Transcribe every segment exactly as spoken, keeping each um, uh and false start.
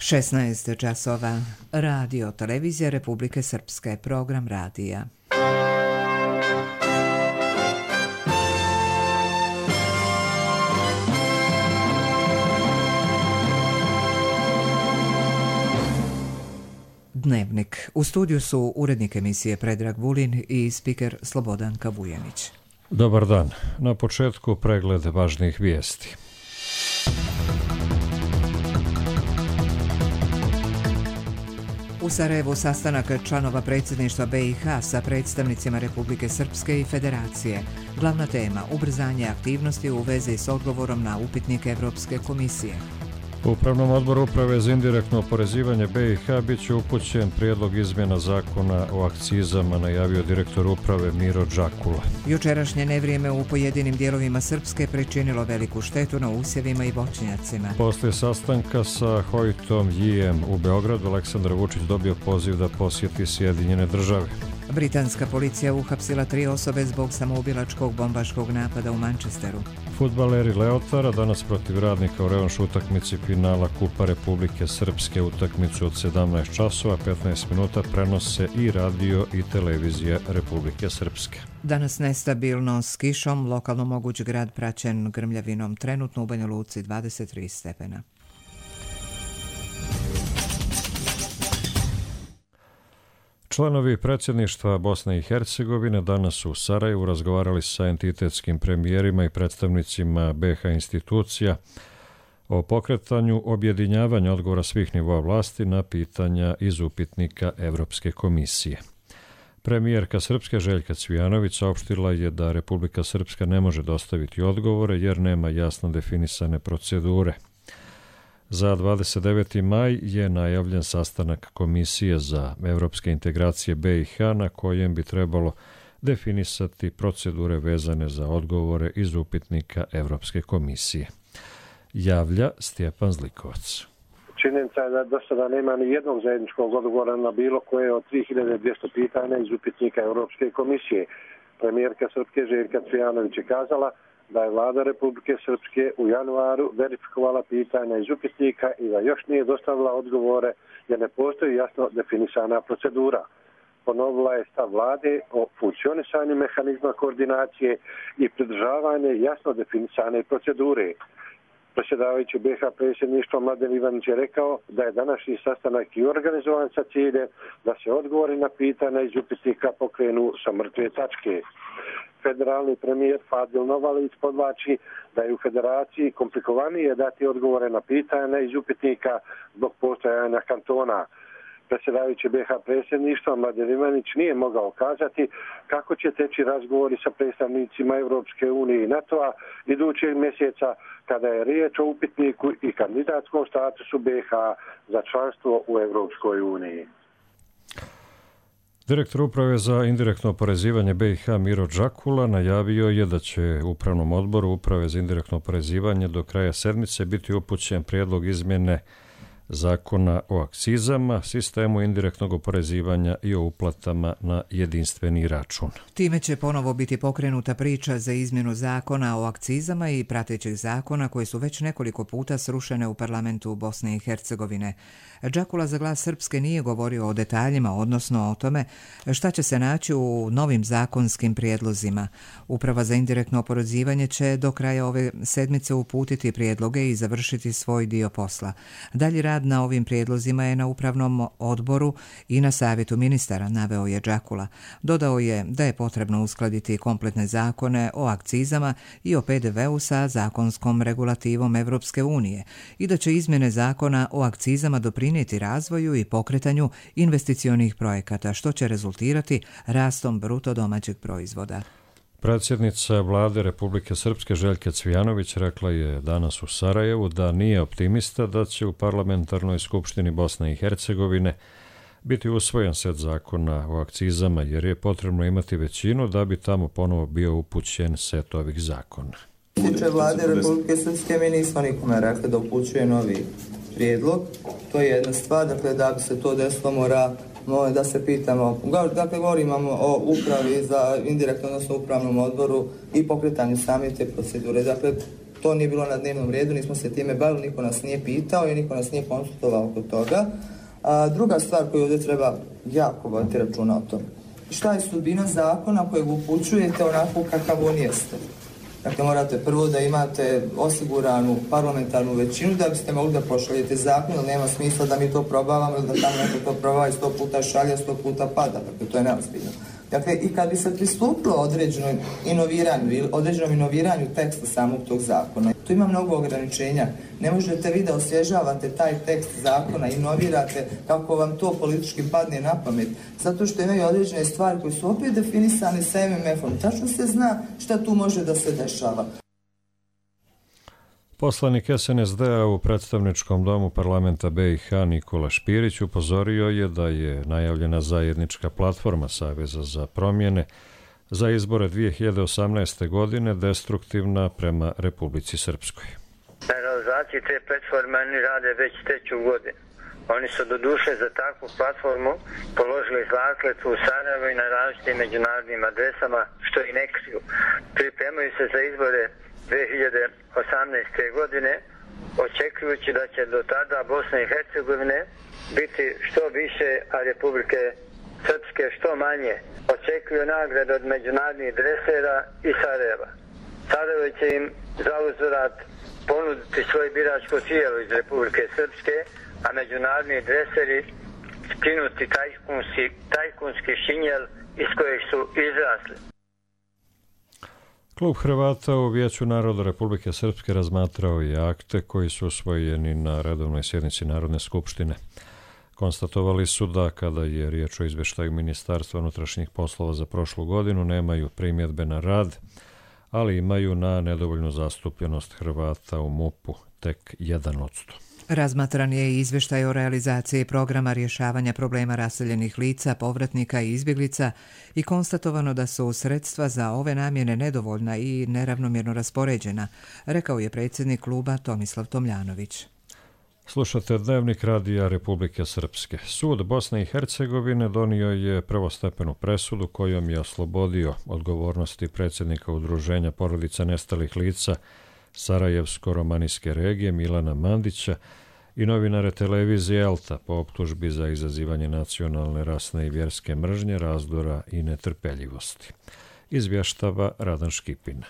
šesnaest časova. Radio Televizija Republike Srpske. Program radija. Dnevnik. U studiju su urednik emisije Predrag Vulin i spiker Slobodanka Vujanić. Dobar dan. Na početku pregled važnih vijesti. U Sarajevu sastanak članova predsjedništva B i H sa predstavnicima Republike Srpske i Federacije. Glavna tema – ubrzanje aktivnosti u vezi s odgovorom na upitnik Evropske komisije. U Upravnom odboru Uprave za indirektno oporezivanje B i H bit će upućen prijedlog izmjena zakona o akcizama, najavio direktor uprave Miro Đakula. Jučerašnje nevrijeme u pojedinim dijelovima Srpske pričinilo veliku štetu na usjevima i voćnjacima. Poslije sastanka sa Hojtom Jijem u Beogradu, Aleksandar Vučić dobio poziv da posjeti Sjedinjene države. Britanska policija uhapsila tri osobe zbog samoubilačkog bombaškog napada u Manchesteru. Fudbaleri Leotara danas protiv Radnika u revanš utakmici finala Kupa Republike Srpske. Utakmicu od sedamnaest časova petnaest minuta prenose i radio i televizija Republike Srpske. Danas nestabilno s kišom, lokalno moguć grad praćen grmljavinom, trenutno u Banja Luci dvadeset tri stepena. Članovi predsjedništva Bosne i Hercegovine danas su u Sarajevu razgovarali sa entitetskim premijerima i predstavnicima B i H institucija o pokretanju objedinjavanja odgovora svih nivoa vlasti na pitanja iz upitnika Evropske komisije. Premijerka Srpske Željka Cvijanović saopštila je da Republika Srpska ne može dostaviti odgovore jer nema jasno definisane procedure. Za dvadeset deveti maj je najavljen sastanak Komisije za evropske integracije B i H na kojem bi trebalo definisati procedure vezane za odgovore iz upitnika Evropske komisije. Javlja Stjepan Zlikovac. Činjenica je da do sada nema ni jednog zajedničkog odgovora na bilo koje od tri hiljade dvjesto pitanja iz upitnika Evropske komisije. Premijerka Srpske Željka Cvijanović je kazala da je vlada Republike Srpske u januaru verifikovala pitanja iz upitnika i da još nije dostavila odgovore jer ne postoji jasno definisana procedura. Ponovila je stav vlade o funkcionisanju mehanizma koordinacije i pridržavanje jasno definisane procedure. Predsjedavajući B i H predsjedništvo Mladen Ivanić je rekao da je današnji sastanak i organizovan sa ciljem da se odgovori na pitanja iz upitnika pokrenu sa mrtve tačke. Federalni premijer Fadil Novalić podvlači da je u federaciji komplikovanije dati odgovore na pitanja iz upitnika zbog postojanja kantona. Predsjedavajući B i H predsjedništva Mladen Ivanić nije mogao kazati kako će teći razgovori sa predstavnicima Evropske unije i NATO-a idućeg mjeseca kada je riječ o upitniku i kandidatskom statusu B i H za članstvo u Evropskoj uniji. Direktor uprave za indirektno oporezivanje B i H Miro Đakula najavio je da će Upravnom odboru Uprave za indirektno oporezivanje do kraja sedmice biti upućen prijedlog izmjene zakona o akcizama, sistemu indirektnog oporezivanja i o uplatama na jedinstveni račun. Time će ponovo biti pokrenuta priča za izmjenu zakona o akcizama i pratećih zakona koje su već nekoliko puta srušene u parlamentu Bosne i Hercegovine. Đakula za Glas Srpske nije govorio o detaljima, odnosno o tome šta će se naći u novim zakonskim prijedlozima. Uprava za indirektno oporezivanje će do kraja ove sedmice uputiti prijedloge i završiti svoj dio posla. Dalji rad na ovim prijedlozima je na Upravnom odboru i na Savjetu ministara, naveo je Đakula. Dodao je da je potrebno uskladiti kompletne zakone o akcizama i o P D V-u sa zakonskom regulativom Evropske unije i da će izmjene zakona o akcizama doprinijeti razvoju i pokretanju investicionih projekata, što će rezultirati rastom bruto domaćeg proizvoda. Predsjednica vlade Republike Srpske Željka Cvijanović rekla je danas u Sarajevu da nije optimista da će u parlamentarnoj skupštini Bosne i Hercegovine biti usvojen set zakona o akcizama jer je potrebno imati većinu da bi tamo ponovo bio upućen set ovih zakona. Tiče vlade Republike Srpske, mi nismo nikome rekli da upućuje novi prijedlog. To je jedna stvar, dakle da bi se to desilo mora da se pitamo, dakle govorimo o upravi za indirektno, odnosno upravnom odboru i pokretanju same te procedure. Dakle, to nije bilo na dnevnom redu, nismo se time bavili, niko nas nije pitao i niko nas nije konsultovao oko toga. A, druga stvar koju ovdje treba jako voditi računa o tome. Šta je sudbina zakona kojeg upućujete onako kakav on jeste? Dakle, morate prvo da imate osiguranu parlamentarnu većinu da biste mogli da pošaljete zakon, ali nema smisla da mi to probavamo ili da tamo neko to probava i sto puta šalja, sto puta pada. Dakle, to je neozbiljno. Dakle, i kad bi se pristupilo određenom inoviranju ili određenom inoviranju teksta samog tog zakona, tu ima mnogo ograničenja. Ne možete vi da osvježavate taj tekst zakona, inovirate kako vam to politički padne na pamet, zato što imaju određene stvari koje su opet definisane sa M M F-om. Tačno se zna šta tu može da se dešava. Poslanik S N S D-a u predstavničkom domu parlamenta B i H Nikola Špirić upozorio je da je najavljena zajednička platforma Saveza za promjene za izbore dvije hiljade osamnaeste. godine destruktivna prema Republici Srpskoj. Na realizaciji te platforme oni rade već treću godinu. Oni su do duše za takvu platformu položili zakletvu u Sarajevu i na različitim međunarodnim adresama, što i ne kriju. Pripremaju se za izbore dvije hiljade osamnaeste. godine, očekujući da će do tada Bosne i Hercegovine biti što više, a Republike Srpske što manje. Očekuju nagrade od međunarodnih dresera i Sarajeva. Sarajevo će im za uzvrat ponuditi svoje biračko tijelo iz Republike Srpske, a međunarodni dreseri skinuti tajkunski, tajkunski šinjel iz kojeg su izrasli. Klub Hrvata u Vijeću naroda Republike Srpske razmatrao je akte koji su usvojeni na redovnoj sjednici Narodne skupštine. Konstatovali su da kada je riječ o izveštaju Ministarstva unutrašnjih poslova za prošlu godinu nemaju primjedbe na rad, ali imaju na nedovoljnu zastupljenost Hrvata u M U P-u, tek jedan odsto. Razmatran je i izvještaj o realizaciji programa rješavanja problema raseljenih lica, povratnika i izbjeglica i konstatovano da su sredstva za ove namjene nedovoljna i neravnomjerno raspoređena, rekao je predsjednik kluba Tomislav Tomljanović. Slušate Dnevnik radija Republike Srpske. Sud Bosne i Hercegovine donio je prvostepenu presudu kojom je oslobodio odgovornosti predsjednika Udruženja porodica nestalih lica Sarajevsko-romanijske regije Milana Mandića i novinare televizije Elta po optužbi za izazivanje nacionalne, rasne i vjerske mržnje, razdora i netrpeljivosti. Izvještava Radan Škipina.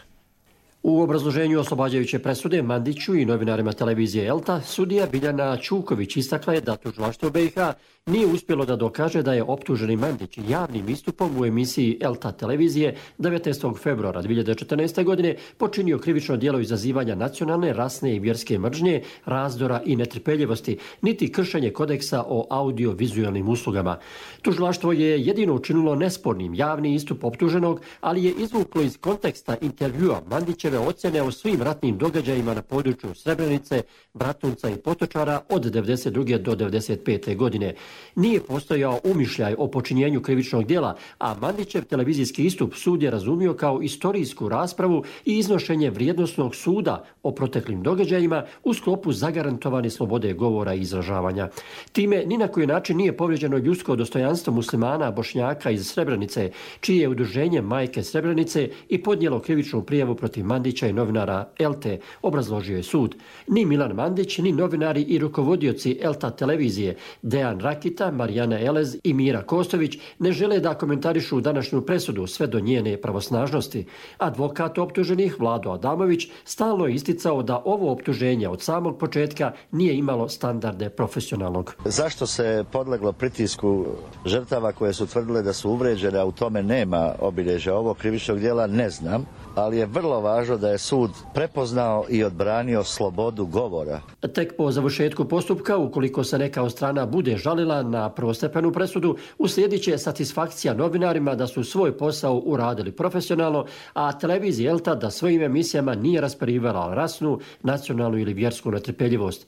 U obrazloženju oslobađajuće presude Mandiću i novinarima televizije Elta, sudija Biljana Čuković istakla je da tužilaštvo B i H nije uspjelo da dokaže da je optuženi Mandić javnim istupom u emisiji Elta televizije devetnaestog februara dvije hiljade četrnaeste. godine počinio krivično djelo izazivanja nacionalne, rasne i vjerske mržnje, razdora i netrpeljivosti, niti kršenje kodeksa o audio-vizualnim uslugama. Tužilaštvo je jedino učinilo nespornim javni istup optuženog, ali je izvuklo iz konteksta intervjua Mandićeve ocjene o svim ratnim događajima na području Srebrenice, Bratunca i Potočara od devedeset druge. do devedeset pete. godine. Nije postojao umišljaj o počinjenju krivičnog djela, a Mandićev televizijski istup sud je razumio kao istorijsku raspravu i iznošenje vrijednosnog suda o proteklim događajima u sklopu zagarantovane slobode govora i izražavanja. Time ni na koji način nije povrijeđeno ljudsko dostojanstvo muslimana Bošnjaka iz Srebrenice, čije je udruženje Majke Srebrenice i podnijelo krivičnu prijavu protiv Mandića i novinara Elte, obrazložio je sud. Ni Milan Mandić, ni novinari i rukovodioci Elta televizije Dejan Rakita, Marijana Elez i Mira Kostović ne žele da komentarišu današnju presudu sve do njene pravosnažnosti. Advokat optuženih Vlado Adamović stalno je isticao da ovo optuženje od samog početka nije imalo standarde profesionalnog. Zašto se podleglo pritisku žrtava koje su tvrdile da su uvređene, a u tome nema obilježja ovog krivičnog djela, ne znam, ali je vrlo važno da je sud prepoznao i odbranio slobodu govora. Tek po završetku postupka, ukoliko se neka od strana bude žalila na prvostepenu presudu, uslijedit će satisfakcija novinarima da su svoj posao uradili profesionalno, a televizija Elta da svojim emisijama nije rasparivala rasnu, nacionalnu ili vjersku netrpeljivost.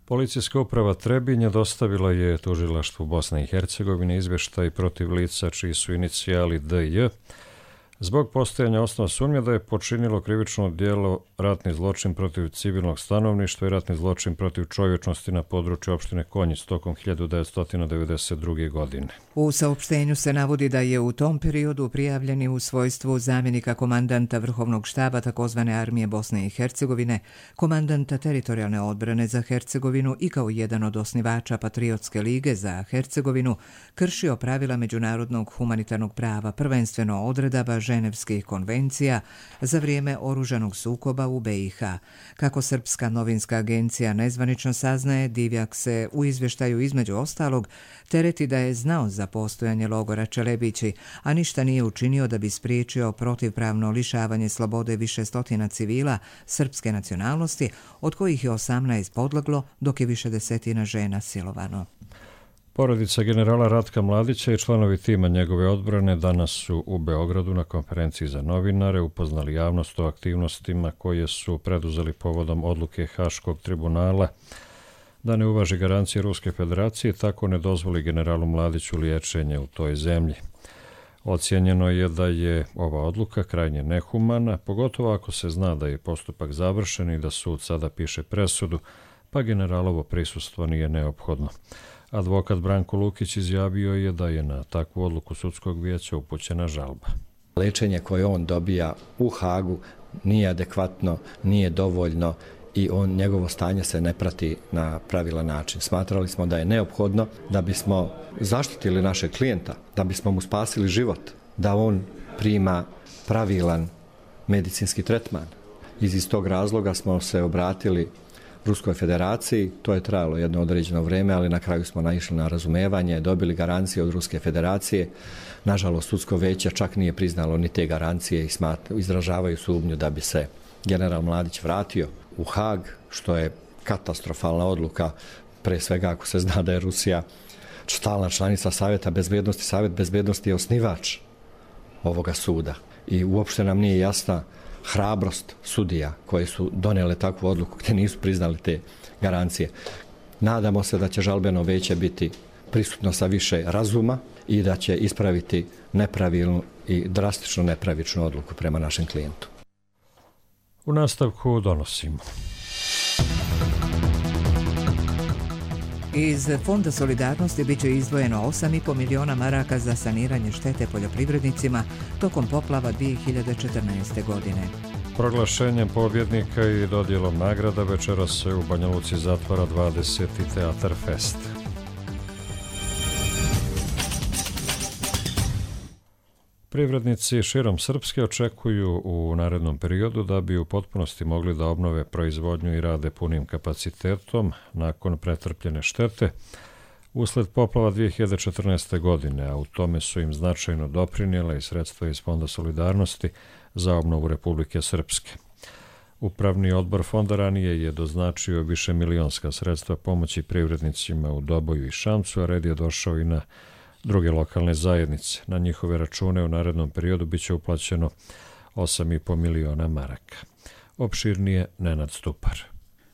Policijska uprava Trebinje dostavila je tužilaštvu Bosne i Hercegovine izvještaj protiv lica čiji su inicijali D J zbog postojanja osnova sumnje da je počinilo krivično djelo ratni zločin protiv civilnog stanovništva i ratni zločin protiv čovječnosti na području opštine Konjic tokom hiljadu devetsto devedeset druge. godine. U saopštenju se navodi da je u tom periodu prijavljeni u svojstvu zamjenika komandanta Vrhovnog štaba takozvane armije Bosne i Hercegovine, komandanta teritorijalne odbrane za Hercegovinu i kao jedan od osnivača Patriotske lige za Hercegovinu kršio pravila međunarodnog humanitarnog prava, prvenstveno odredaba Ženevskih konvencija za vrijeme oružanog sukoba u be i ha. Kako Srpska novinska agencija nezvanično saznaje, Divjak se u izvještaju između ostalog tereti da je znao za postojanje logora Čelebići, a ništa nije učinio da bi spriječio protivpravno lišavanje slobode više stotina civila srpske nacionalnosti, od kojih je osamnaest podleglo, dok je više desetina žena silovano. Porodica generala Ratka Mladića i članovi tima njegove odbrane danas su u Beogradu na konferenciji za novinare upoznali javnost o aktivnostima koje su preduzeli povodom odluke Haškog tribunala da ne uvaži garancije Ruske federacije, tako ne dozvoli generalu Mladiću liječenje u toj zemlji. Ocijenjeno je da je ova odluka krajnje nehumana, pogotovo ako se zna da je postupak završen i da sud sada piše presudu, pa generalovo prisustvo nije neophodno. Advokat Branko Lukić izjavio je da je na takvu odluku sudskog vijeća upućena žalba. Lečenje koje on dobija u Hagu nije adekvatno, nije dovoljno i on, njegovo stanje se ne prati na pravilan način. Smatrali smo da je neophodno da bismo zaštitili našeg klijenta, da bismo mu spasili život, da on prima pravilan medicinski tretman. Iz istog razloga smo se obratili Ruskoj federaciji, to je trajalo jedno određeno vrijeme, ali na kraju smo naišli na razumevanje, dobili garancije od Ruske federacije. Nažalost, sudsko veće čak nije priznalo ni te garancije i smatru, izražavaju sumnju da bi se general Mladić vratio u Hag, što je katastrofalna odluka, pre svega ako se zna da je Rusija stalna članica Savjeta bezbednosti. Savjet bezbednosti je osnivač ovoga suda i uopšte nam nije jasna hrabrost sudija koji su donijele takvu odluku gdje nisu priznali te garancije. Nadamo se da će žalbeno veće biti prisutno sa više razuma i da će ispraviti nepravilnu i drastično nepravičnu odluku prema našem klijentu. U nastavku donosimo. Iz Fonda solidarnosti bit će izdvojeno osam i po miliona maraka za saniranje štete poljoprivrednicima tokom poplava dvije hiljade četrnaeste. godine. Proglašenjem pobjednika i dodjelom nagrada večeras se u Banja Luci zatvara dvadeseti Teatar Fest. Privrednici širom Srpske očekuju u narednom periodu da bi u potpunosti mogli da obnove proizvodnju i rade punim kapacitetom nakon pretrpljene štete usled poplava dvije hiljade četrnaeste. godine, a u tome su im značajno doprinijela i sredstva iz Fonda solidarnosti za obnovu Republike Srpske. Upravni odbor fonda ranije je doznačio više milionska sredstva pomoći privrednicima u Doboju i Šamcu, a red je došao i na druge lokalne zajednice. Na njihove račune u narednom periodu biće uplaćeno osam i po miliona maraka. Opširnije Nenad Stupar.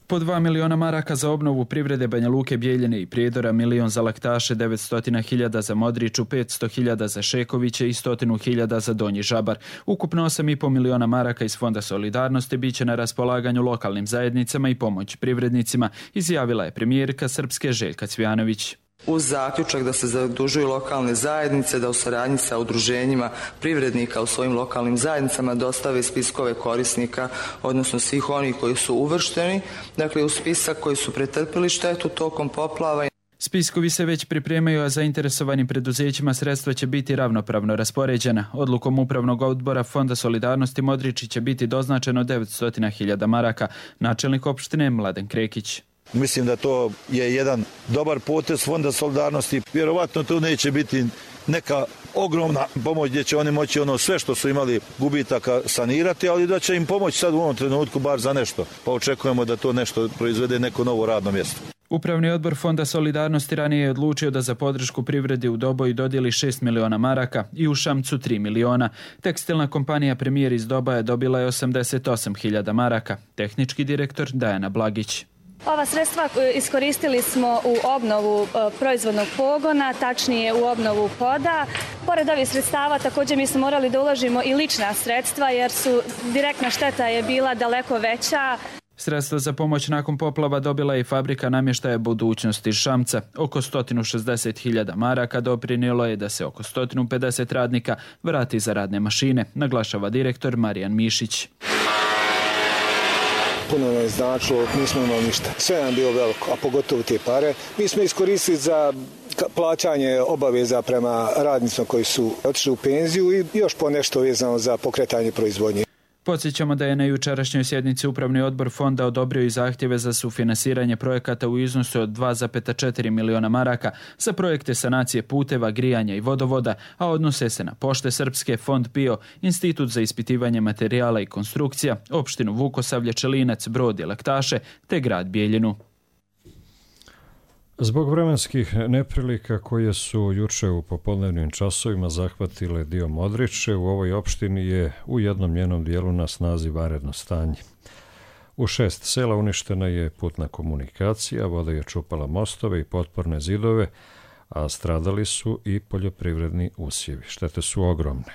Po dva miliona maraka za obnovu privrede Banja Luke, Bijeljine i Prijedora, milion za Laktaše, devetsto hiljada za Modriču, petsto hiljada za Šekoviće i sto hiljada za Donji Žabar. Ukupno osam i po miliona maraka iz Fonda solidarnosti biće na raspolaganju lokalnim zajednicama i pomoći privrednicima, izjavila je premijerka Srpske Željka Cvijanović. Uz zaključak da se zadužuju lokalne zajednice da u saradnji sa udruženjima privrednika u svojim lokalnim zajednicama dostave spiskove korisnika, odnosno svih onih koji su uvršteni, dakle u spisak koji su pretrpili štetu tokom poplava. Spiskovi se već pripremaju, a zainteresovanim preduzećima sredstva će biti ravnopravno raspoređena. Odlukom Upravnog odbora Fonda solidarnosti Modriči će biti doznačeno devetsto hiljada maraka. Načelnik opštine Mladen Krekić. Mislim da to je jedan dobar potez Fonda solidarnosti. Vjerovatno tu neće biti neka ogromna pomoć gdje će oni moći ono sve što su imali gubitaka sanirati, ali da će im pomoći sad u ovom trenutku bar za nešto. Pa očekujemo da to nešto proizvede neko novo radno mjesto. Upravni odbor Fonda solidarnosti ranije je odlučio da za podršku privredi u Doboju dodijeli šest miliona maraka i u Šamcu tri miliona. Tekstilna kompanija Premijer iz Dobaja dobila je osamdeset osam hiljada maraka. Tehnički direktor Dajana Blagić. Ova sredstva iskoristili smo u obnovu proizvodnog pogona, tačnije u obnovu poda. Pored ovih sredstava također mi smo morali da uložimo i lična sredstva jer su direktna šteta je bila daleko veća. Sredstva za pomoć nakon poplava dobila je i fabrika namještaja Budućnost iz Šamca. Oko sto šezdeset hiljada maraka doprinijelo je da se oko sto pedeset radnika vrati za radne mašine, naglašava direktor Marijan Mišić. Puno nam je značilo, nismo imali ništa. Sve nam bilo veliko, a pogotovo te pare. Mi smo iskoristili za plaćanje obaveza prema radnicima koji su otišli u penziju i još po nešto vezano za pokretanje proizvodnje. Podsjećamo da je na jučerašnjoj sjednici Upravni odbor fonda odobrio i zahtjeve za sufinansiranje projekata u iznosu od dva zarez četiri miliona maraka za projekte sanacije puteva, grijanja i vodovoda, a odnose se na Pošte Srpske, Fond P I O, Institut za ispitivanje materijala i konstrukcija, opštinu Vukosavlje, Čelinac, Brod i Laktaše te grad Bijeljinu. Zbog vremenskih neprilika koje su juče u popodnevnim časovima zahvatile dio Modriče, u ovoj opštini je u jednom njenom dijelu na snazi vanredno stanje. U šest sela uništena je putna komunikacija, voda je čupala mostove i potporne zidove, a stradali su i poljoprivredni usjevi. Štete su ogromne.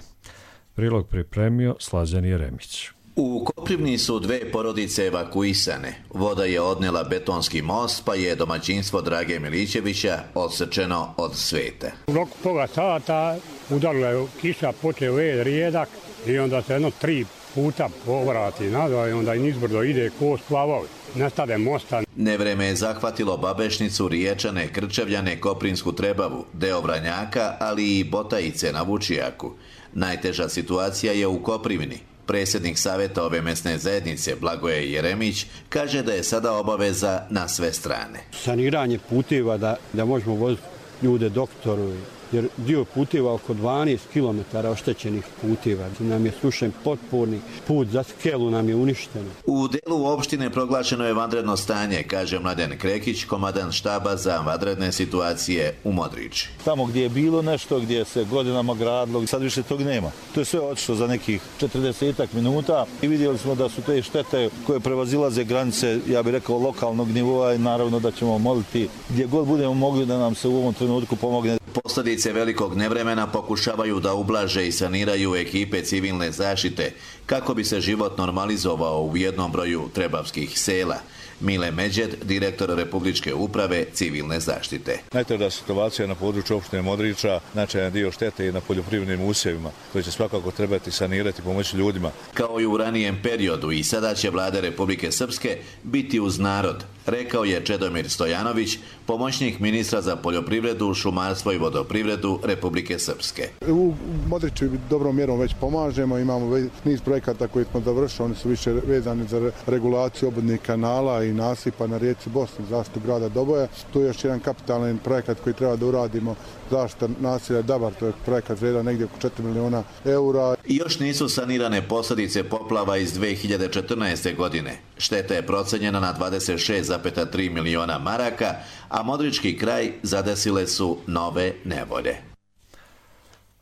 Prilog pripremio Slađan Jeremić. U Koprivni su dve porodice evakuisane. Voda je odnela betonski most, pa je domaćinstvo Drage Milićevića odsečeno od sveta. U roku pola sata udarila je kiša, počeo je rijedak i onda se jedno tri puta povrati nazad i onda i nizbrdo ide ko splavovi. Nestade mosta. Nevreme je zahvatilo Babešnicu, Riječane, Krčevljane, Koprinsku Trebavu, deo Vranjaka, ali i Botajice na Vučijaku. Najteža situacija je u Koprivni. Predsjednik savjeta ove mesne zajednice Blagoje Jeremić kaže da je sada obaveza na sve strane. Saniranje puteva da, da možemo voziti ljude doktoru, jer dio puteva oko dvanaest kilometara oštećenih puteva. Nam je slušen potporni put za Skelu nam je uništeno. U delu opštine proglašeno je vanredno stanje, kaže Mladen Krekić, komandant štaba za vanredne situacije u Modriči. Tamo gdje je bilo nešto, gdje se godinama gradilo, sad više tog nema. To je sve otišlo za nekih četrdesetak minuta i vidjeli smo da su te štete koje prevazilaze granice, ja bih rekao, lokalnog nivoa i naravno da ćemo moliti gdje god budemo mogli da nam se u ovom trenutku pomogne. Posljedice velikog nevremena pokušavaju da ublaže i saniraju ekipe civilne zaštite kako bi se život normalizovao u jednom broju trebavskih sela. Mile Međed, direktor Republičke uprave civilne zaštite. Najteža situacija na području opštine Modriča, značajan dio štete i na poljoprivrednim usjevima, koji će svakako trebati sanirati i pomoći ljudima. Kao i u ranijem periodu i sada će vlada Republike Srpske biti uz narod, rekao je Čedomir Stojanović, pomoćnik ministra za poljoprivredu, šumarstvo i vodoprivredu Republike Srpske. U Modriču dobrom mjerom već pomažemo, imamo niz projekata koji smo završili, oni su više vezani za regulaciju obodnih kanala i nasipa na rijeci Bosni, zaštitu grada Doboja. Tu je još jedan kapitalan projekat koji treba da uradimo, zaštita naselja Dabar, to je projekat vrijedan negdje oko četiri miliona eura. I još nisu sanirane posljedice poplava iz dve hiljade četrnaeste. godine. Šteta je procenjena na dvadeset šest zarez tri miliona maraka, a Modrički kraj zadesile su nove nevolje.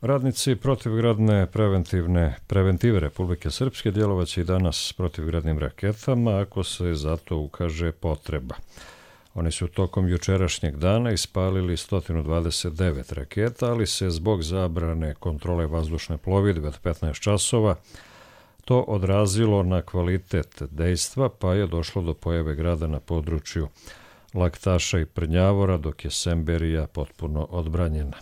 Radnici protivgradne preventivne preventive Republike Srpske djelovaće i danas protivgradnim raketama ako se za to ukaže potreba. Oni su tokom jučerašnjeg dana ispalili sto dvadeset devet raketa, ali se zbog zabrane kontrole vazdušne plovidbe od petnaest časova to odrazilo na kvalitet dejstva, pa je došlo do pojave grada na području Laktaša i Prnjavora, dok je Semberija potpuno odbranjena.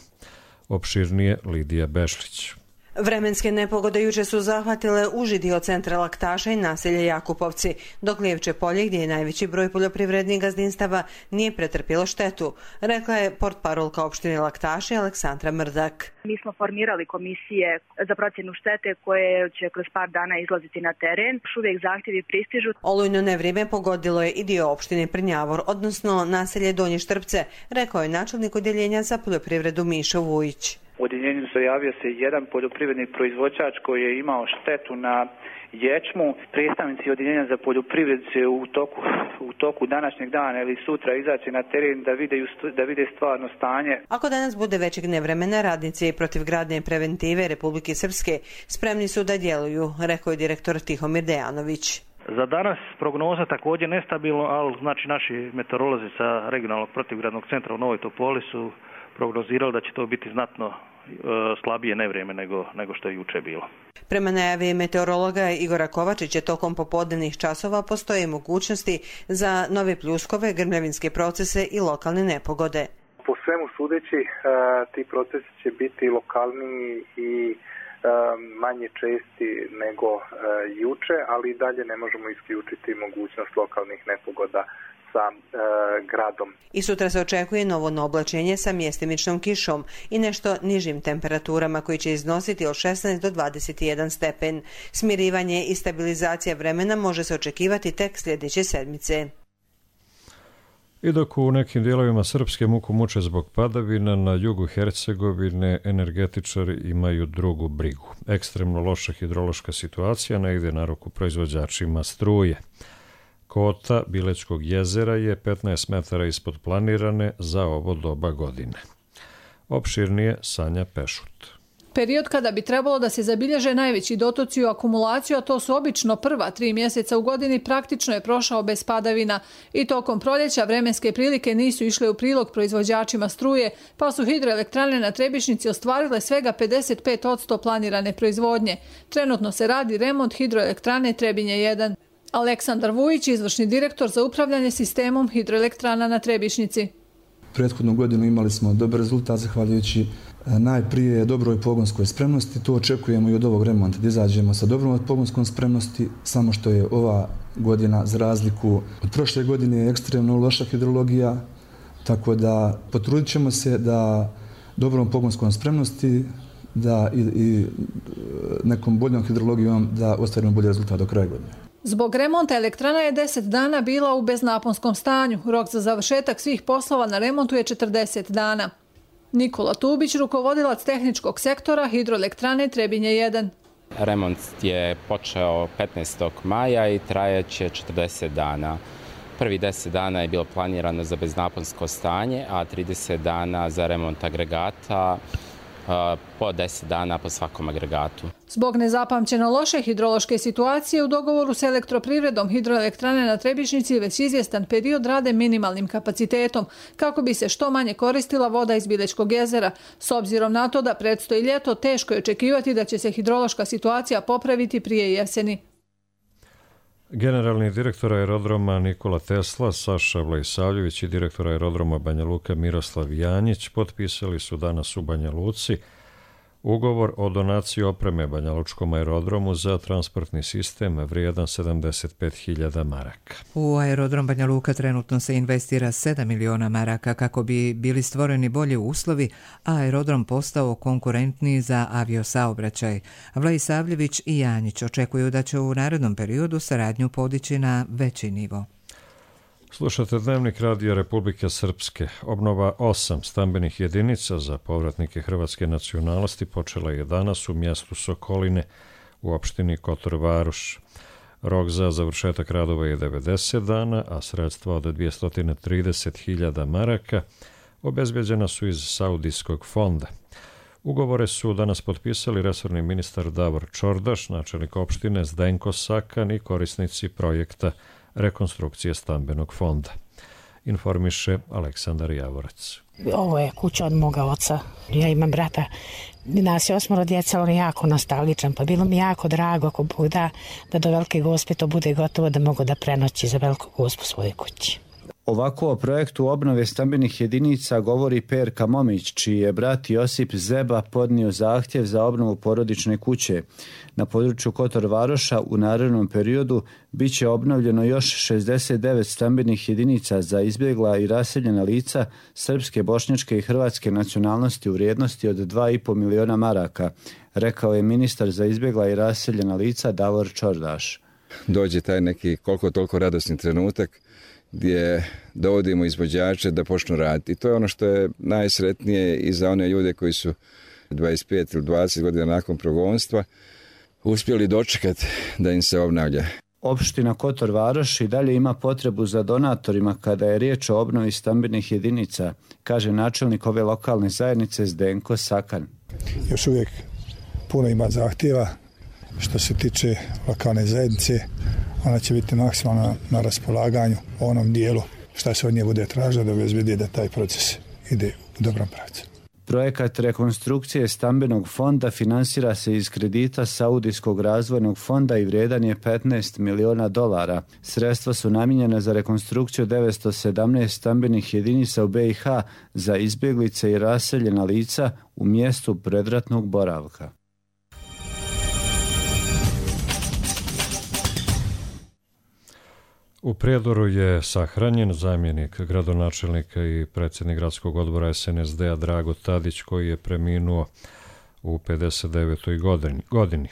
Opširnije Lidija Bešlić. Vremenske nepogode juče su zahvatile uži dio centra Laktaša i naselje Jakupovci, dok Lijevče polje, gdje je najveći broj poljoprivrednih gazdinstava, nije pretrpilo štetu, rekla je portparolka opštine Laktaša Aleksandra Mrdak. Mi smo formirali komisije za procjenu štete koje će kroz par dana izlaziti na teren. Još uvijek zahtjevi pristižu. Olujno nevrijeme pogodilo je i dio opštine Prnjavor, odnosno naselje Donje Štrpce, rekao je načelnik odjeljenja za poljoprivredu Mišo Vujić. U odjeljenju se javio se jedan poljoprivredni proizvođač koji je imao štetu na ječmu. Predstavnici odjeljenja za poljoprivredu će u toku, u toku današnjeg dana ili sutra izaći na teren da vide, da vide stvarno stanje. Ako danas bude većeg nevremena, radnici protivgradne preventive Republike Srpske spremni su da djeluju, rekao je direktor Tihomir Dejanović. Za danas prognoza također nestabilno, ali znači naši meteorolozi sa regionalnog protivgradnog centra u Novoj Topoli su prognozirali da će to biti znatno e, slabije nevrijeme nego, nego što je juče bilo. Prema najavi meteorologa Igora Kovačića, tokom popodnevnih časova postoje mogućnosti za nove pljuskove, grmljavinske procese i lokalne nepogode. Po svemu sudeći, ti procesi će biti lokalniji i manje česti nego juče, ali i dalje ne možemo isključiti mogućnost lokalnih nepogoda sa e, gradom. I sutra se očekuje novo oblačenje sa mjestimičnom kišom i nešto nižim temperaturama koji će iznositi od šesnaest do dvadeset jedan stepen. Smirivanje i stabilizacija vremena može se očekivati tek sljedeće sedmice. I dok u nekim dijelovima Srpske muku muče zbog padavina, na jugu Hercegovine energetičari imaju drugu brigu. Ekstremno loša hidrološka situacija ne ide na ruku proizvođačima struje. Kota Bilećkog jezera je petnaest metara ispod planirane za ovo doba godine. Opširnije Sanja Pešut. Period kada bi trebalo da se zabilježe najveći dotoci u akumulaciju, a to su obično prva tri mjeseca u godini, praktično je prošao bez padavina i tokom proljeća vremenske prilike nisu išle u prilog proizvođačima struje, pa su hidroelektrane na Trebišnici ostvarile svega pedeset pet posto planirane proizvodnje. Trenutno se radi remont hidroelektrane Trebinje jedan. Aleksandar Vujić, izvršni direktor za upravljanje sistemom hidroelektrana na Trebišnici. Prethodnu godinu imali smo dobar rezultat zahvaljujući najprije dobroj pogonskoj spremnosti. To očekujemo i od ovog remonta, da izađemo sa dobrom pogonskom spremnosti, samo što je ova godina za razliku od prošle godine ekstremno loša hidrologija, tako da potrudit ćemo se da dobrom pogonskom spremnosti da i, i nekom boljom hidrologijom da ostvarimo bolji rezultat do kraja godine. Zbog remonta elektrana je deset dana bila u beznaponskom stanju. Rok za završetak svih poslova na remontu je četrdeset dana. Nikola Tubić, rukovodilac tehničkog sektora hidroelektrane Trebinje jedan. Remont je počeo petnaestog maja i trajaće četrdeset dana. Prvi deset dana je bilo planirano za beznaponsko stanje, a trideset dana za remont agregata, po deset dana po svakom agregatu. Zbog nezapamćeno loše hidrološke situacije u dogovoru s elektroprivredom hidroelektrane na Trebišnici već izvjestan period rade minimalnim kapacitetom kako bi se što manje koristila voda iz Bilećkog jezera. S obzirom na to da predstoji ljeto, teško je očekivati da će se hidrološka situacija popraviti prije jeseni. Generalni direktor aerodroma Nikola Tesla, Saša Vlajsavljević i direktor aerodroma Banja Luka Miroslav Janjić potpisali su danas u Banja Luci ugovor o donaciji opreme Banja Lučkom aerodromu za transportni sistem vrijedan sedamdeset pet hiljada maraka. U aerodrom Banja Luka trenutno se investira sedam miliona maraka kako bi bili stvoreni bolji uslovi, a aerodrom postao konkurentniji za aviosaobraćaj. Vlajsavljević i Janjić očekuju da će u narednom periodu saradnju podići na veći nivo. Slušate Dnevnik Radija Republike Srpske. Obnova osam stambenih jedinica za povratnike hrvatske nacionalnosti počela je danas u mjestu Sokoline u opštini Kotor Varoš. Rok za završetak radova je devedeset dana, a sredstva od dvjesto trideset hiljada maraka obezbeđena su iz Saudijskog fonda. Ugovore su danas potpisali resorni ministar Davor Čordaš, načelnik opštine Zdenko Sakan i korisnici projekta rekonstrukcije stambenog fonda. Informiše Aleksandar Javorac. Ovo je kuća od moga oca. Ja imam brata. Nas je osmoro djeca, on je jako nostalgičan, pa bilo mi jako drago ako Bog da, da do Velike Gospe to bude gotovo da mogu da prenoći za Veliku Gospu svoje kući. Ovako o projektu obnove stambenih jedinica govori Perka Momić, čiji je brat Josip Zeba podnio zahtjev za obnovu porodične kuće. Na području Kotor Varoša u narednom periodu bit će obnovljeno još šezdeset devet stambenih jedinica za izbjegla i raseljena lica srpske, bošnjačke i hrvatske nacionalnosti u vrijednosti od dva i po miliona maraka, rekao je ministar za izbjegla i raseljena lica Davor Čordaš. Dođe taj neki koliko toliko radosni trenutak gdje dovodimo izvođače da počnu raditi. I to je ono što je najsretnije i za one ljude koji su dvadeset pet ili dvadeset godina nakon progonstva uspjeli dočekati da im se obnavlja. Opština Kotor Varoš i dalje ima potrebu za donatorima kada je riječ o obnovi stambenih jedinica, kaže načelnik ove lokalne zajednice Zdenko Sakan. Još uvijek puno ima zahtjeva što se tiče lokalne zajednice, ona će biti maksimalno na raspolaganju u onom dijelu šta se od nje bude tražilo da obezbedi da taj proces ide u dobrom pravcu. Projekat rekonstrukcije stambenog fonda finansira se iz kredita Saudijskog razvojnog fonda i vrijedan je petnaest miliona dolara. Sredstva su namijenjena za rekonstrukciju devetsto sedamnaest stambenih jedinica u B i H za izbjeglice i raseljena lica u mjestu predratnog boravka. U Prijedoru je sahranjen zamjenik gradonačelnika i predsjednik gradskog odbora S N S D-a Drago Tadić, koji je preminuo u pedeset devetoj godini.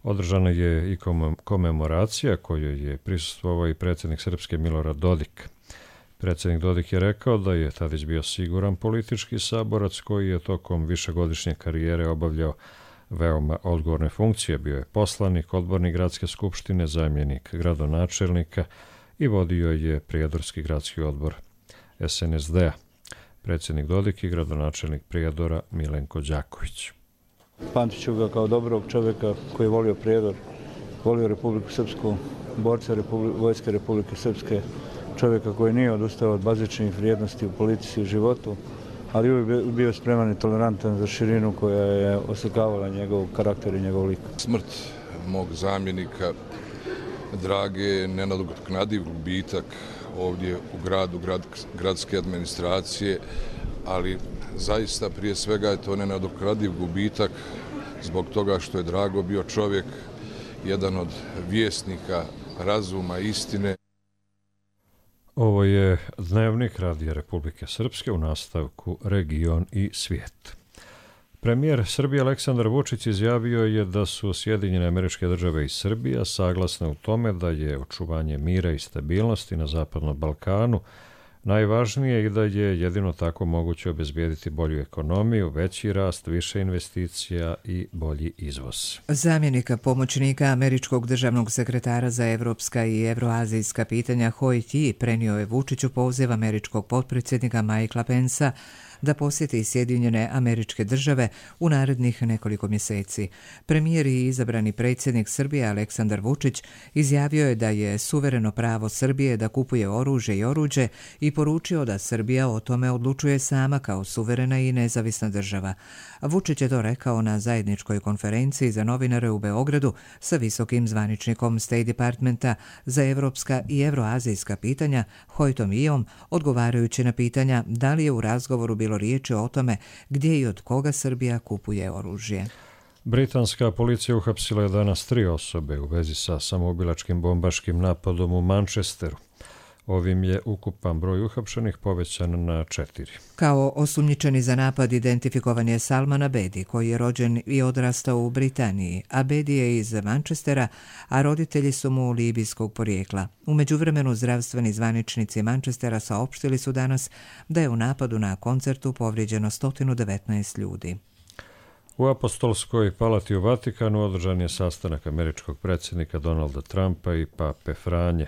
Održana je i komemoracija kojoj je prisustvovao i predsjednik Srpske Milorad Dodik. Predsjednik Dodik je rekao da je Tadić bio siguran politički saborac koji je tokom višegodišnje karijere obavljao veoma odgovorne funkcije. Bio je poslanik, odbornik gradske skupštine, zamjenik gradonačelnika i vodio je Prijedorski gradski odbor S N S D-a. Predsjednik Dodik i gradonačelnik Prijedora Milenko Đaković. Pamtit ću ga kao dobrog čovjeka koji je volio Prijedor, volio Republiku Srpsku, borca Republi, Vojske Republike Srpske, čovjeka koji nije odustao od bazičnih vrijednosti u politici i životu, ali uvijek bio spreman i tolerantan za širinu koja je oslikavala njegov karakter i njegov lik. Smrt mog zamjenika Drage je nenadoknadiv gubitak ovdje u gradu, grad, gradske administracije, ali zaista prije svega je to nenadoknadiv gubitak zbog toga što je Drago bio čovjek, jedan od vjesnika razuma, istine. Ovo je Dnevnik Radija Republike Srpske, u nastavku Region i svijet. Premijer Srbije Aleksandar Vučić izjavio je da su Sjedinjene Američke Države i Srbija saglasne u tome da je očuvanje mira i stabilnosti na Zapadnom Balkanu najvažnije i da je jedino tako moguće obezbijediti bolju ekonomiju, veći rast, više investicija i bolji izvoz. Zamjenika pomoćnika američkog državnog sekretara za evropska i evroazijska pitanja Hoi Ti prenio je Vučiću poziv američkog potpredsjednika Mikea Pensa da posjeti Sjedinjene Američke Države u narednih nekoliko mjeseci. Premijer i izabrani predsjednik Srbije Aleksandar Vučić izjavio je da je suvereno pravo Srbije da kupuje oružje i oruđe i poručio da Srbija o tome odlučuje sama kao suverena i nezavisna država. Vučić je to rekao na zajedničkoj konferenciji za novinare u Beogradu sa visokim zvaničnikom State Departmenta za evropska i evroazijska pitanja Hoitom Iom, odgovarajući na pitanja da li je u razgovoru bilo riječi o tome gdje i od koga Srbija kupuje oružje. Britanska policija uhapsila je danas tri osobe u vezi sa samoubilačkim bombaškim napadom u Manchesteru. Ovim je ukupan broj uhapšenih povećan na četiri. Kao osumnjičeni za napad identifikovan je Salman Abedi, koji je rođen i odrastao u Britaniji. Abedi je iz Manchestera, a roditelji su mu libijskog porijekla. U međuvremenu zdravstveni zvaničnici Manchestera saopštili su danas da je u napadu na koncertu povrijeđeno sto devetnaest ljudi. U Apostolskoj palati u Vatikanu održan je sastanak američkog predsjednika Donalda Trumpa i pape Franje.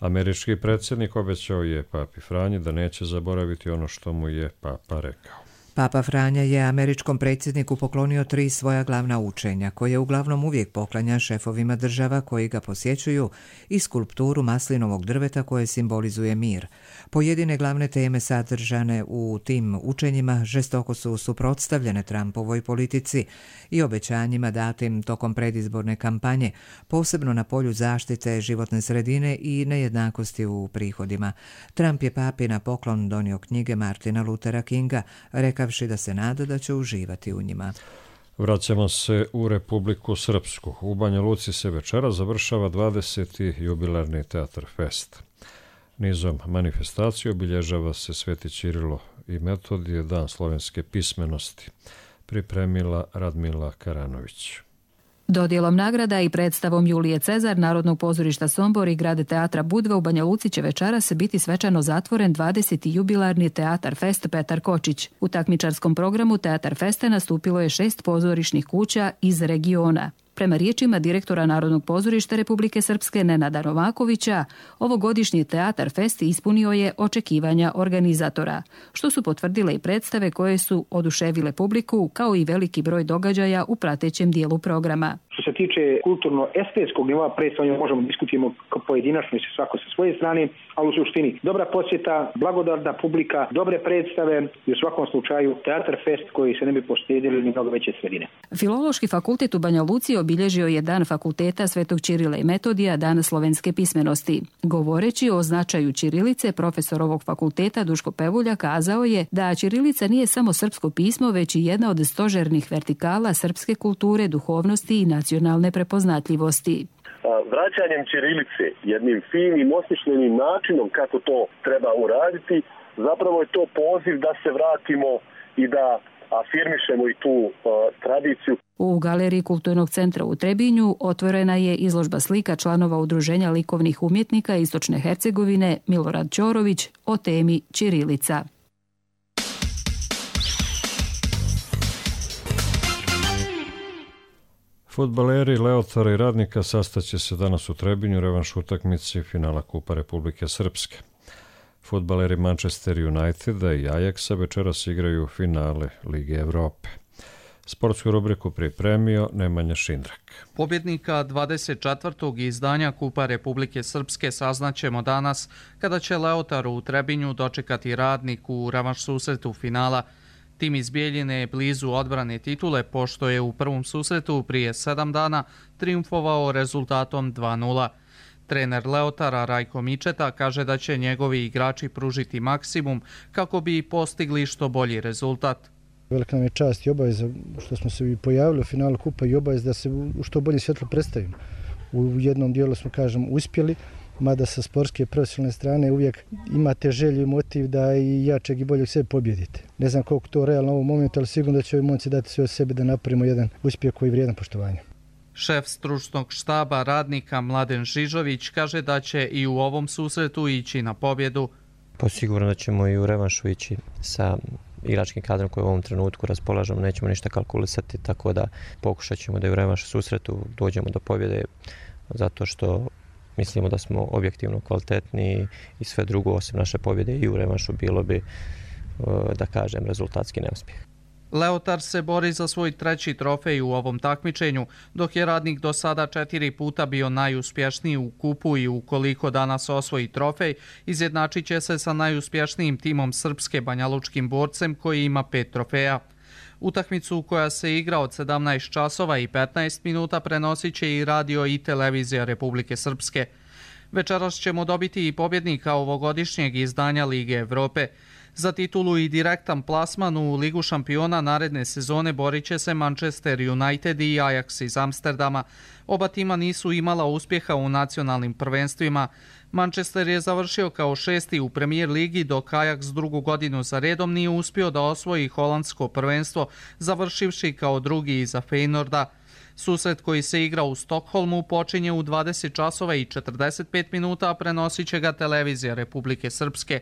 Američki predsjednik obećao je papi Franji da neće zaboraviti ono što mu je papa rekao. Papa Franja je američkom predsjedniku poklonio tri svoja glavna učenja, koje uglavnom uvijek poklanja šefovima država koji ga posjećuju, i skulpturu maslinovog drveta koje simbolizuje mir. Pojedine glavne teme sadržane u tim učenjima žestoko su suprotstavljene Trumpovoj politici i obećanjima datim tokom predizborne kampanje, posebno na polju zaštite životne sredine i nejednakosti u prihodima. Trump je papi na poklon donio knjige Martina Luthera Kinga, rekavši da se nada da će uživati u njima. Vraćamo se u Republiku Srpsku. U Banja Luci se večera završava dvadeseti jubilarni Teatar Fest. Nizom manifestacije obilježava se Sveti Ćirilo i Metodije, dan slovenske pismenosti, pripremila Radmila Karanović. Dodjelom nagrada i predstavom Julije Cezar Narodnog pozorišta Sombor i Grade teatra Budva u Banja Luci će večeras biti svečano zatvoren dvadeseti jubilarni Teatar Fest Petar Kočić. U takmičarskom programu Teatar Festa nastupilo je šest pozorišnih kuća iz regiona. Prema riječima direktora Narodnog pozorišta Republike Srpske Nenada Novakovića, ovogodišnji Teatar Fest ispunio je očekivanja organizatora, što su potvrdile i predstave koje su oduševile publiku, kao i veliki broj događaja u pratećem dijelu programa. Što se tiče kulturno-estetskog nivoa predstavljanja, možemo diskutiramo pojedinačno i svako sa svoje strane, ali u suštini dobra posjeta, blagodarna publika, dobre predstave i u svakom slučaju Teatar Fest koji se ne bi postjedili ni mnogo veće sredine. Filološki fakultet u Banja Luci obilježio je Dan fakulteta Svetog Ćirila i Metodija, Dan slovenske pismenosti. Govoreći o značaju ćirilice, profesor ovog fakulteta Duško Pevulja kazao je da ćirilica nije samo srpsko pismo, već i jedna od stožernih vertikala srpske kulture, duhovnosti i nacionalne prepoznatljivosti. Vraćanjem ćirilice, jednim finim, osmišljenim načinom kako to treba uraditi, zapravo je to poziv da se vratimo i da afirmišemo i tu uh, tradiciju. U galeriji Kulturnog centra u Trebinju otvorena je izložba slika članova Udruženja likovnih umjetnika Istočne Hercegovine Milorad Ćorović o temi ćirilica. Fudbaleri Leotara i Radnika sastaće se danas u Trebinju revanš utakmici finala Kupa Republike Srpske. Fudbaleri Manchester Uniteda i Ajaxa večeras igraju finale Lige Evrope. Sportsku rubriku pripremio Nemanja Šindrak. Pobjednika dvadeset četvrtog izdanja Kupa Republike Srpske saznaćemo danas kada će Leotar u Trebinju dočekati Radnik u revanš susretu finala. Tim iz Bijeljine je blizu odbrane titule pošto je u prvom susretu prije sedam dana triumfovao rezultatom dva nula. Trener Leotara Rajko Mičeta kaže da će njegovi igrači pružiti maksimum kako bi postigli što bolji rezultat. Velika nam je čast i obaveza što smo se pojavili u finalu Kupa i obaveza da se u što bolje svjetlo predstavimo. U jednom dijelu smo, kažem, uspjeli, mada sa sportske profesionalne strane uvijek imate želju i motiv da i jačeg i boljeg sebe pobjedite. Ne znam koliko to realno u ovom momentu, ali sigurno da će ovi momci dati sve od sebe da napravimo jedan uspjeh koji je vrijedan poštovanja. Šef stručnog štaba Radnika Mladen Žižović kaže da će i u ovom susretu ići na pobjedu. Posigurno da ćemo i u revanšu ići sa igračkim kadrom koji u ovom trenutku raspolažemo, nećemo ništa kalkulisati, tako da pokušat ćemo da i u revanšu susretu dođemo do pobjede, zato što mislimo da smo objektivno kvalitetni i sve drugo osim naše pobjede i u revanšu bilo bi, da kažem, rezultatski neuspjeh. Leotar se bori za svoj treći trofej u ovom takmičenju, dok je Radnik do sada četiri puta bio najuspješniji u kupu i ukoliko danas osvoji trofej, izjednačit će se sa najuspješnijim timom Srpske Banjalučkim borcem koji ima pet trofeja. Utakmicu koja se igra od sedamnaest časova i petnaest minuta prenosit će i radio i televizija Republike Srpske. Večeras ćemo dobiti i pobjednika ovogodišnjeg izdanja Lige Evrope. Za titulu i direktan plasman u Ligu šampiona naredne sezone borit će se Manchester United i Ajax iz Amsterdama. Oba tima nisu imala uspjeha u nacionalnim prvenstvima. Manchester je završio kao šesti u Premier ligi, dok Ajax drugu godinu za redom nije uspio da osvoji holandsko prvenstvo, završivši kao drugi iza Feynorda. Susret koji se igra u Stokholmu počinje u dvadeset časova i četrdeset pet minuta, a prenosit će ga televizija Republike Srpske.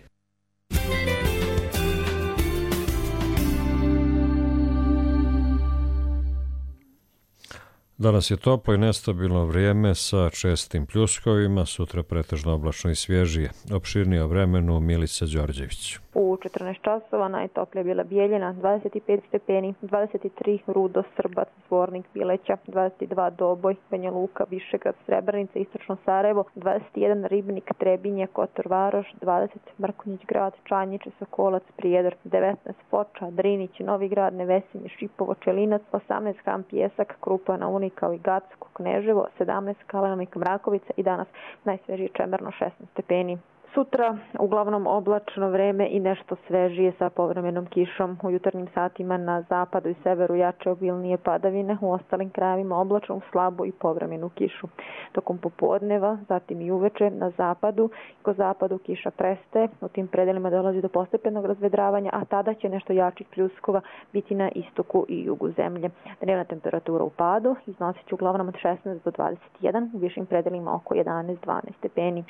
Danas je toplo i nestabilno vrijeme sa čestim pljuskovima, sutra pretežno oblačno i svježije. Opširnije o vremenu Milica Đorđević. U četrnaest časova najtoplija bila Bijeljina, dvadeset pet stepeni, dvadeset tri Rudo, Srbac, Zvornik, Bileća, dvadeset dva Doboj, Banja Luka, Višegrad, Srebrenica, Istočno Sarajevo, dvadeset jedan Ribnik, Trebinje, Kotor Varoš, dvadeset Mrkonjić grad, Čanjiče, Sokolac, Prijedor, devetnaest Foča, Drinić, Novi grad, Nevesinje, Šipovo, Čelinac, osamnaest Ham Pjesak, Krupana, Unikao i Gacko, Kneževo, sedamnaest Kalenovik, Mrakovica i danas najsvežije Čemerno, šesnaest stepeni. Sutra uglavnom oblačno vreme i nešto svežije sa povremenom kišom. U jutarnjim satima na zapadu i severu jače obilnije padavine, u ostalim krajevima oblačno, slabu i povremenu kišu. Tokom popodneva, zatim i uveče na zapadu, ko zapadu kiša prestaje, u tim predelima dolazi do postepenog razvedravanja, a tada će nešto jačih pljuskova biti na istoku i jugu zemlje. Dnevna temperatura u padu iznosit će uglavnom od šesnaest do dvadeset jedan, u višim predelima oko jedanaest do dvanaest stepeni.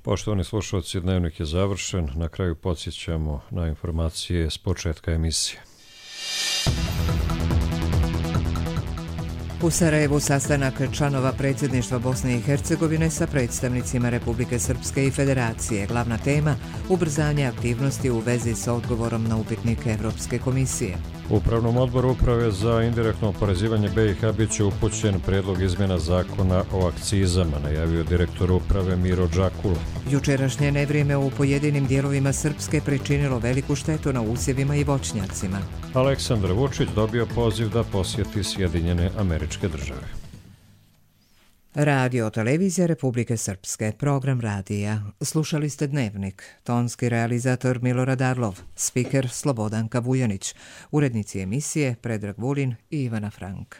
Poštovani slušalci, dnevnik je završen. Na kraju podsjećamo na informacije s početka emisije. U Sarajevu sastanak članova predsjedništva Bosne i Hercegovine sa predstavnicima Republike Srpske i Federacije. Glavna tema – ubrzanje aktivnosti u vezi sa odgovorom na upitnike Evropske komisije. U Upravnom odboru Uprave za indirektno oporezivanje B i H bit će upućen predlog izmjena zakona o akcizama, najavio direktor uprave Miro Đakula. Jučerašnje nevrijeme u pojedinim dijelovima Srpske pričinilo veliku štetu na usjevima i voćnjacima. Aleksandar Vučić dobio poziv da posjeti Sjedinjene Američke Države. Radio televizija Republike Srpske, program radija. Slušali ste Dnevnik, tonski realizator Milorad Arlov, spiker Slobodanka Vujanić, urednici emisije Predrag Vulin i Ivana Frank.